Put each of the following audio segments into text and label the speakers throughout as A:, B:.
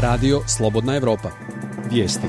A: Radio Slobodna Evropa. Vijesti.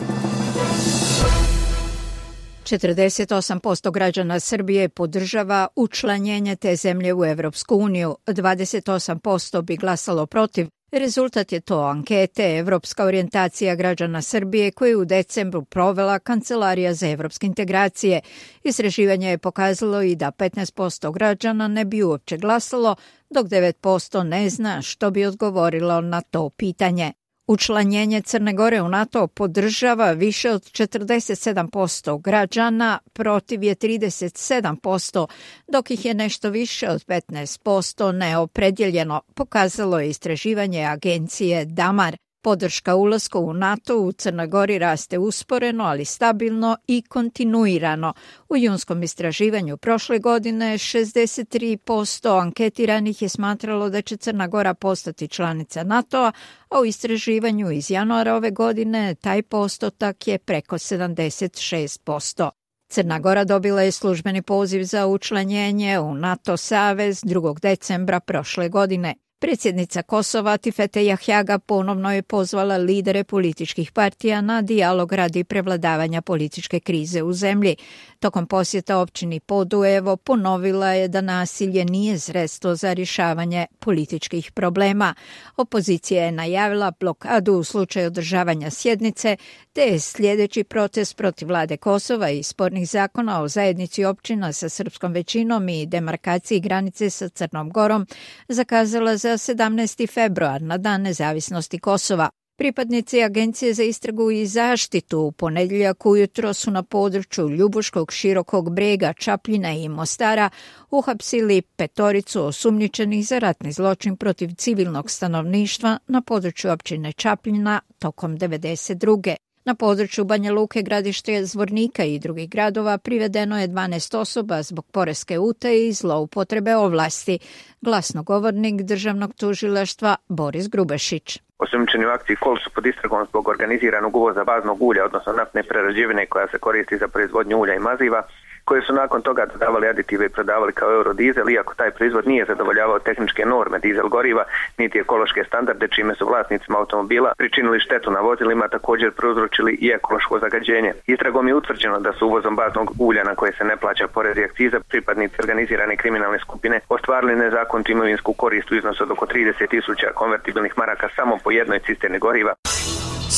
B: 48% građana Srbije podržava učlanjenje te zemlje u Evropsku uniju. 28% bi glasalo protiv. Rezultat je to ankete Evropska orijentacija građana Srbije koju je u decembru provela Kancelarija za evropske integracije. Istraživanje je pokazalo i da 15% građana ne bi uopće glasalo, dok 9% ne zna što bi odgovorilo na to pitanje. Učlanjenje Crne Gore u NATO podržava više od 47% građana, protiv je 37%, dok ih je nešto više od 15% neopredjeljeno, pokazalo je istraživanje agencije Damar. Podrška ulasku u NATO u Crnoj Gori raste usporeno, ali stabilno i kontinuirano. U junskom istraživanju prošle godine 63% anketiranih je smatralo da će Crna Gora postati članica NATO-a, a u istraživanju iz januara ove godine taj postotak je preko 76%. Crna Gora dobila je službeni poziv za učlanjenje u NATO savez 2. decembra prošle godine. Predsjednica Kosova Atifete Jahjaga ponovno je pozvala lidere političkih partija na dijalog radi prevladavanja političke krize u zemlji. Tokom posjeta općini Podujevo ponovila je da nasilje nije sredstvo za rješavanje političkih problema. Opozicija je najavila blokadu u slučaju održavanja sjednice, te je sljedeći protest protiv vlade Kosova i spornih zakona o zajednici općina sa srpskom većinom i demarkaciji granice sa Crnom Gorom zakazala za 17. februar na Dan nezavisnosti Kosova. Pripadnici Agencije za istragu i zaštitu u ponedjeljak ujutro su na području Ljubuškog, Širokog Brega, Čapljina i Mostara uhapsili 5 osumnjičenih za ratni zločin protiv civilnog stanovništva na području općine Čapljina tokom 1992. Na području Banja Luke, Gradište, Zvornika i drugih gradova privedeno je 12 osoba zbog poreske utaje i zloupotrebe ovlasti. Glasnogovornik državnog tužilaštva Boris Grubešić.
C: Osumnjičeni u akciji KOL su pod istragom zbog organiziranog uvoza baznog ulja, odnosno naftne prerađevine koja se koristi za proizvodnju ulja i maziva, koje su nakon toga dodavali aditive i prodavali kao eurodizel, iako taj proizvod nije zadovoljavao tehničke norme dizel goriva, niti ekološke standarde, čime su vlasnicima automobila pričinili štetu na vozilima, također prouzročili i ekološko zagađenje. Istragom je utvrđeno da su uvozom baznog ulja na koje se ne plaća porez i akciza pripadnici organizirane kriminalne skupine ostvarili nezakonitu imovinsku korist u iznosu od oko 30.000 konvertibilnih maraka samo po jednoj cisterni goriva.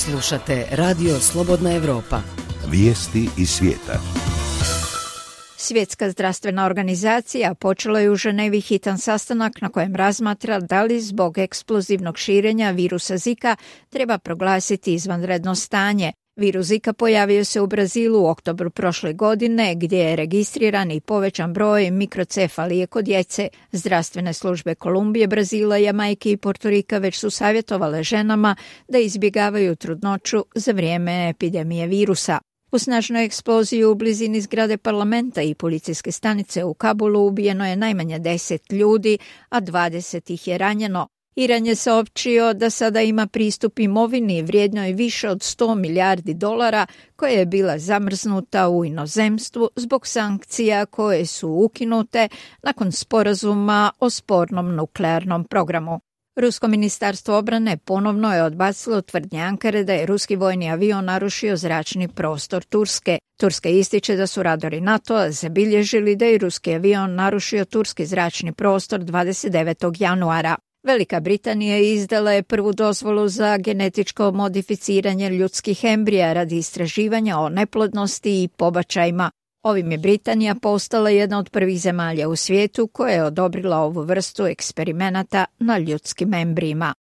D: Slušate Radio Slobodna Evropa.
E: Vijesti iz svijeta.
B: Svjetska zdravstvena organizacija počela je u Ženevi hitan sastanak na kojem razmatra da li zbog eksplozivnog širenja virusa Zika treba proglasiti izvanredno stanje. Virus Zika pojavio se u Brazilu u oktobru prošle godine, gdje je registriran i povećan broj mikrocefalije kod djece. Zdravstvene službe Kolumbije, Brazila, Jamajke i Portorika već su savjetovale ženama da izbjegavaju trudnoću za vrijeme epidemije virusa. U snažnoj eksploziji u blizini zgrade parlamenta i policijske stanice u Kabulu ubijeno je najmanje 10 ljudi, a 20 ih je ranjeno. Iran je saopćio da sada ima pristup imovini vrijednoj više od $100 milijardi koja je bila zamrznuta u inozemstvu zbog sankcija koje su ukinute nakon sporazuma o spornom nuklearnom programu. Rusko ministarstvo obrane ponovno je odbacilo tvrdnje Ankare da je ruski vojni avion narušio zračni prostor Turske. Turska ističe da su radari NATO-a zabilježili da je ruski avion narušio turski zračni prostor 29. januara. Velika Britanija izdala je prvu dozvolu za genetičko modificiranje ljudskih embrija radi istraživanja o neplodnosti i pobačajima. Ovim je Britanija postala jedna od prvih zemalja u svijetu koja je odobrila ovu vrstu eksperimenata na ljudskim embrijima.